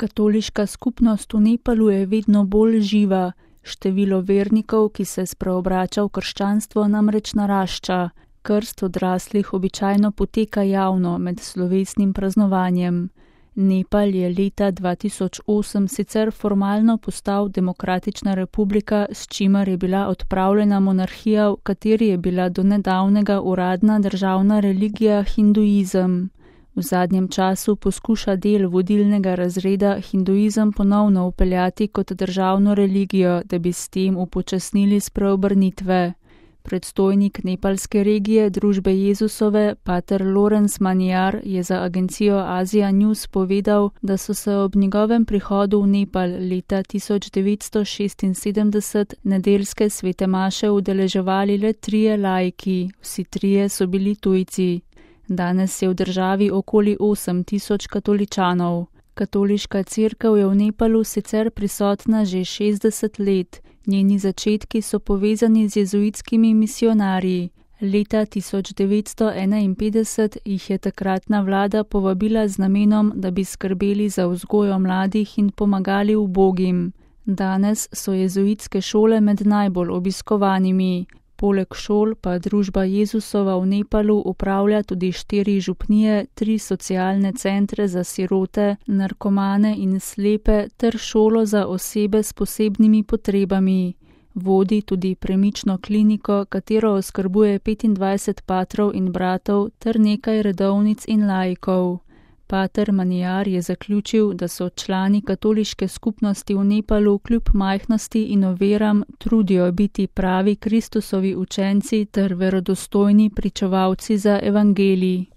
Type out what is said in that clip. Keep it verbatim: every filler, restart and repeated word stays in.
Katoliška skupnost v Nepalu je vedno bolj živa, število vernikov, ki se spreobrača v krščanstvo, namreč narašča. Krst odraslih običajno poteka javno med slovesnim praznovanjem. Nepal je leta dva tisoč osem sicer formalno postal demokratična republika, s čimer je bila odpravljena monarhija, v kateri je bila do nedavnega uradna državna religija hinduizem. V zadnjem času poskuša del vodilnega razreda hinduizem ponovno vpeljati kot državno religijo, da bi s tem upočasnili spreobrnitve. Predstojnik nepalske regije Družbe Jezusove, pater Lorenz Manjar, je za agencijo Asia News povedal, da so se ob njegovem prihodu v Nepal leta tisoč devetsto šestinsedemdeset nedeljske svete maše udeleževali le trije laiki, vsi trije so bili tujci. Danes je v državi okoli osem tisoč katoličanov. Katoliška cerkev je v Nepalu sicer prisotna že šestdeset let. Njeni začetki so povezani z jezuitskimi misionarji. Leta tisoč devetsto enainpetdeset jih je takratna vlada povabila z namenom, da bi skrbeli za vzgojo mladih in pomagali ubogim. Danes so jezuitske šole med najbolj obiskovanimi. Poleg šol pa Družba Jezusova v Nepalu upravlja tudi štiri župnije, tri socialne centre za sirote, narkomane in slepe ter šolo za osebe s posebnimi potrebami. Vodi tudi premično kliniko, katero oskrbuje petindvajset patrov in bratov ter nekaj redovnic in laikov. Pater Manjar je zaključil, da so člani katoliške skupnosti v Nepalu kljub majhnosti in oviram trudijo biti pravi Kristusovi učenci ter verodostojni pričevalci za evangelij.